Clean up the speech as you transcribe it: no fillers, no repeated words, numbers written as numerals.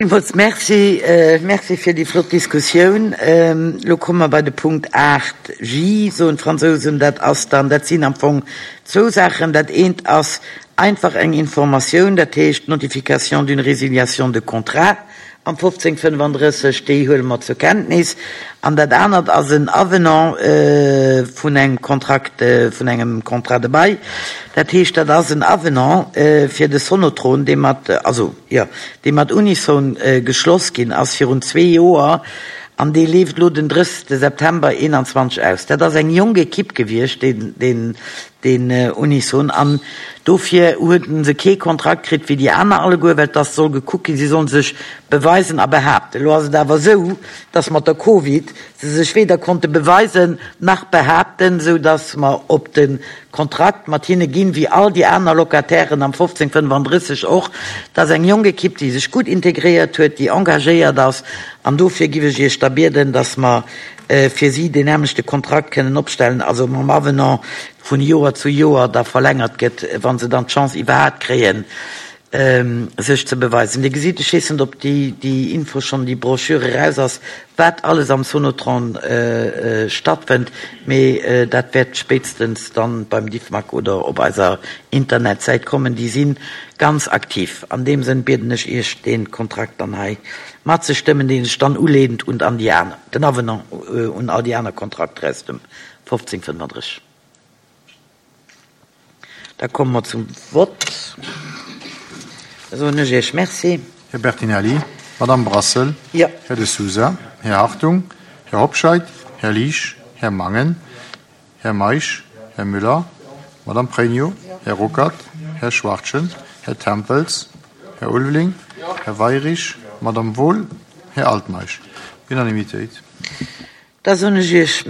Villmools Merci. Merci fir déi flott Diskussioun. Elo komme mer bei de Punkt 8 J, soen d'Fransousen. Dat ass dann, dat sinn am Fong zwou Saachen. Dat eent ass einfach eng Informatioun, dat heescht d'Notification d'une résiliation de contrat am 1535, déi huele mer zur Kenntnis. An dat anert ass en Avenant vun engem Kontrakt, vun engem Contrat de bail. Dat heescht, dat ass en Avenant fir de Sonotron, dee mat, also, jo, dee mat Unison geschloss ginn ass virun zwee Joer an dee leeft elo den 30 September 21 aus. Dat ass eng jonk Ekipp gewiescht, deen, deen, deen Unison, an dofir huet se kee Kontrakt kritt wéi déi aner alleguer, well dass soll gekuckt ginn, si sollen sech beweisen a behaapten. Elo ass et awer esou, dass mat der Covid se sech weder konnte beweisen nach behaapten, esou dass mer op de Kontrakt mat hinne ginn, wéi all déi aner Locatairen am 1535 och. Dat ass eng jonk Ekipp, déi sech gutt integréiert huet, déi engagéiert ass, an dofir giff ech Iech da bieden, dass mer fir si deen nämlechte Kontrakt kënnen opstellen, also mam Avenant vun Joer zu Joer da verlängert gëtt, wa se dann d'Chance iwwerhaapt kréien, sech ze beweisen. Dir gesitt, ech weess net, ob déi Info schonn, déi Broschür eraus ass, wat alles am Sonotron stattfënnt, mee dat wäert spéitstens dann beim Diffmag oder op eiser Internetsäit kommen. Déi si ganz aktiv. An deem Sënn bieden ech Iech, dee Kontrakt dann hei matzestëmmen, dee sech dann uleent un an déi aner, den Avenant un all déi aner Kontrakter aus dem 1535. Da komme mer zum Vott. Da soen ech Iech Merci. Här Bertinelli, Madame Brassel, Jo. Här De Sousa, Här Hartung, Här Hobscheit, Här Liesch, Här Mangen, Här Meisch, Här Müller, Madame Pregno, Här Ruckert, Här Schwachtgen, Här Tempels, Här Ulveling, Här Weirich, Madame Wohl, Här Altmeisch. Unanimitéit. Da soen ech Iech.